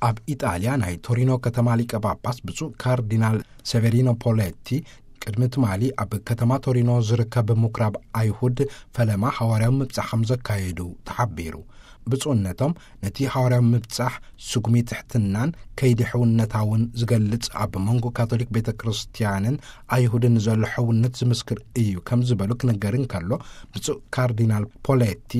ኣብ ኢጣልያ ናይ ቶሪኖ ከተማ ሊቀ ጳጳስ ብፁዕ ካርዲናል ሴቨሪኖ ፖሌቲ ቅድሚ ትማሊ ኣብ ከተማ ቶሪኖ ዝርከብ ምኩራብ ኣይሁድ ፈለማ ሓዋርያዊ ምብጻሕ ከም ዘካየዱ ተሓቢሩ። ብፁዕነቶም ነቲ ሓዋርያዊ ምብጻሕ ስጉሚ ትሕትናን ከይዲ ሕውነታውን ዝገልጽ፣ ኣብ መንጎ ካቶሊክ ቤተ ክርስቲያንን ኣይሁድን ዘሎ ሕውነት ዝምስክር እዩ ከም ዝበሉ ክነገር እንከሎ፣ ብፁዕ ካርዲናል ፖሌቲ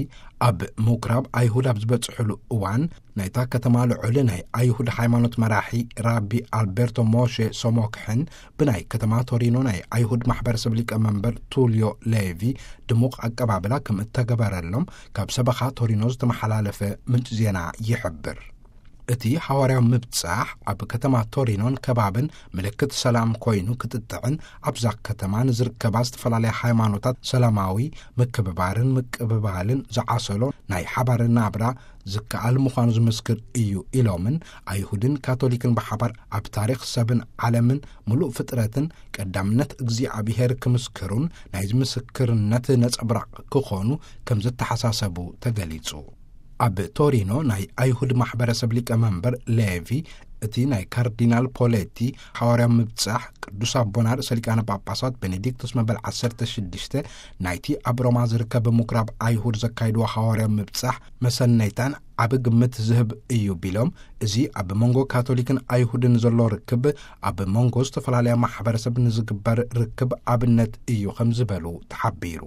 ኣብ ምኩራብ ኣይሁድ ኣብ ዝበጽሕሉ እዋን ናይታ ከተማ ልዑል ናይ ኣይሁድ ሃይማኖት መራሒ ራቢ ኣልቤርቶ ሞሼ ሶሞክሕን ብናይ ከተማ ቶሪኖ ናይ ኣይሁድ ማሕበረሰብ ሊቀመንበር ቱልዮ ሌቪ ድሙቕ ኣቀባብላ ከም እተገበረሎም ካብ ሰበኻ ቶሪኖ ዝተመሓላለፈ ምንጭ ዜና ይሕብር። እቲ ሓዋርያዊ ምብጻሕ ኣብ ከተማ ቶሪኖን ከባብን ምልክት ሰላም ኮይኑ ክትጥዕን፣ ኣብዛ ከተማ ንዝርከባ ዝተፈላለያ ሃይማኖታት ሰላማዊ ምክብባርን ምቅብባልን ዝዓሰሎ ናይ ሓባር ናብራ ዝከኣል ምዃኑ ዝምስክር እዩ ኢሎምን፣ ኣይሁድን ካቶሊክን ብሓባር ኣብ ታሪኽ ሰብን ዓለምን ምሉእ ፍጥረትን ቀዳምነት እግዚኣብሔር ክምስክሩን ናይ ምስክርነት ነጸብራቕ ክኾኑ ከም ዝተሓሳሰቡ ተገሊጹ። ኣብ ቶሪኖ ናይ ኣይሁድ ማሕበረሰብ ሊቀመንበር ሌቪ፣ እቲ ናይ ካርዲናል ፖሌቲ ሓዋርያዊ ምብጻሕ ቅዱስ ኣቦና ርእሰ ሊቃነ ጳጳሳት ቤኔዲክቶስ መበል ዓሰርተ ሽዱሽተ ናይቲ ኣብ ሮማ ዝርከብ ምኩራብ ኣይሁድ ዘካይድዎ ሓዋርያዊ ምብጻሕ መሰነይታን ዓቢ ግምት ዝህብ እዩ ቢሎም፣ እዚ ኣብ መንጎ ካቶሊክን ኣይሁድን ዘሎ ርክብ ኣብ መንጎ ዝተፈላለያ ማሕበረሰብ ንዝግበር ርክብ ኣብነት እዩ ከም ዝበሉ ተሓቢሩ።